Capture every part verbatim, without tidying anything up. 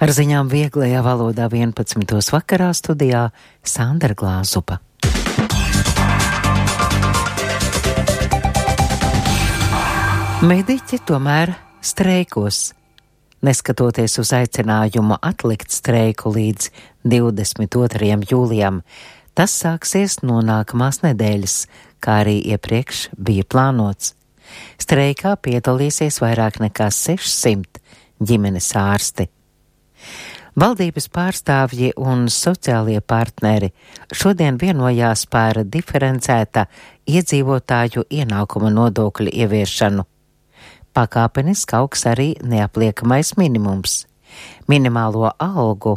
Ar ziņām vieglajā valodā vienpadsmitos vakarā studijā Sandra Glāzupa. Mediķi tomēr streikos. Neskatoties uz aicinājumu atlikt streiku līdz divdesmit otrajam jūlijam, tas sāksies no nākamās nedēļas, kā arī iepriekš bija plānots. Streikā piedalīsies vairāk nekā sešsimt ģimenes ārsti. Valdības pārstāvji un sociālie partneri šodien vienojās par diferencēta iedzīvotāju ienākuma nodokļu ieviešanu. Pakāpeniski augs arī neapliekamais minimums. Minimālo algu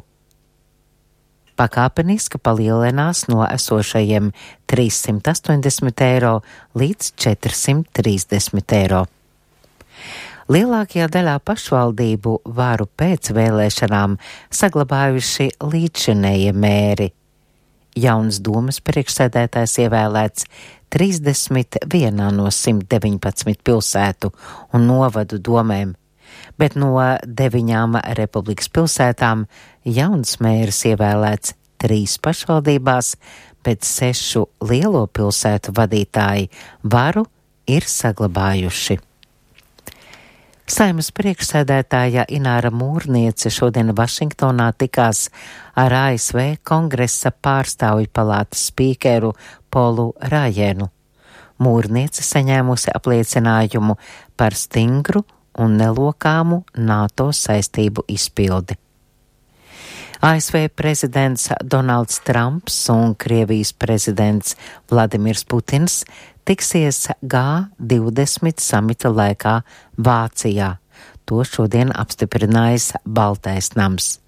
pakāpeniski palielinās no esošajiem trīssimt astoņdesmit eiro līdz četrsimt trīsdesmit eiro. Lielākajā daļā pašvaldību varu pēc vēlēšanām saglabājuši līdzšinējie mēri. Jauns domas priekšsēdētājs ievēlēts trīsdesmit vienā no simt deviņpadsmit pilsētu un novadu domēm, bet no deviņām republikas pilsētām jauns mērs ievēlēts trīs pašvaldībās, bet sešu lielo pilsētu vadītāji varu ir saglabājuši. Saeimas priekšsēdētāja Ināra Mūrniece šodien Vašingtonā tikās ar A S V Kongresa pārstāvju palātas spīkeru Polu Rājēnu. Mūrniece saņēmusi apliecinājumu par stingru un nelokāmu NATO saistību izpildi. A S V prezidents Donalds Trumps un Krievijas prezidents Vladimirs Putins tiksies G divdesmit samita laikā Vācijā. To šodien apstiprinājis Baltais nams.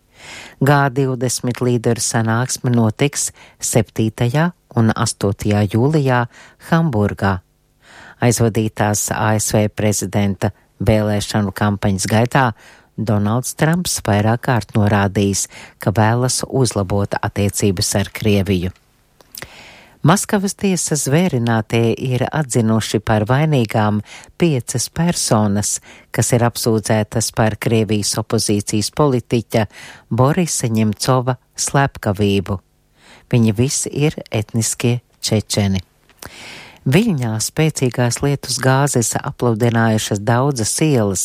G divdesmit līderu sanāksme notiks septītajā un astotajā jūlijā Hamburgā. Aizvadītās A S V prezidenta vēlēšanu kampaņas gaitā Donalds Trumps vairāk kārt norādījis, ka vēlas uzlabot attiecības ar Krieviju. Maskavas tiesas zvērinātie ir atzinuši par vainīgām piecas personas, kas ir apsūdzētas par Krievijas opozīcijas politiķa Borisa Ņemcova slepkavību. Viņi visi ir etniskie čečeni. Viļņā spēcīgās lietus gāzes apludinājušas daudzas ielas,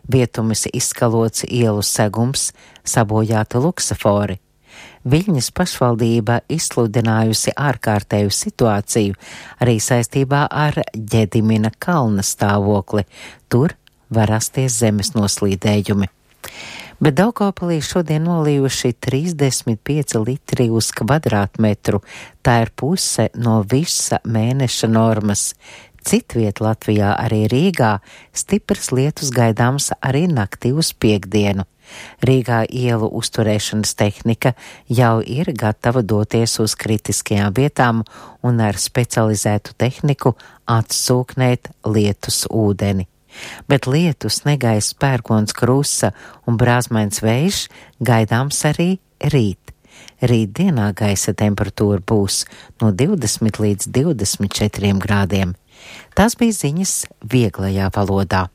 vietumis izskalots ielu segums, sabojāti luksafori. Viļņas pašvaldība izsludinājusi ārkārtēju situāciju arī saistībā ar Ģedimina kalna stāvokli. Tur var rasties zemes noslīdējumi. Bet Daugavpilī šodien nolījuši trīsdesmit pieci litri uz kvadrātmetru. Tā ir puse no visa mēneša normas. Citviet Latvijā, arī Rīgā, stiprs lietus gaidāms arī naktī uz piektdienu. Rīgā ielu uzturēšanas tehnika jau ir gatava doties uz kritiskajām vietām un ar specializētu tehniku atsūknēt lietus ūdeni. Bet lietus, negaiss, pērkons, krusa un brāzmains vējš gaidāms arī rīt. Rīt dienā gaisa temperatūra būs no divdesmit līdz divdesmit četriem grādiem. Tās bija ziņas vieglajā valodā.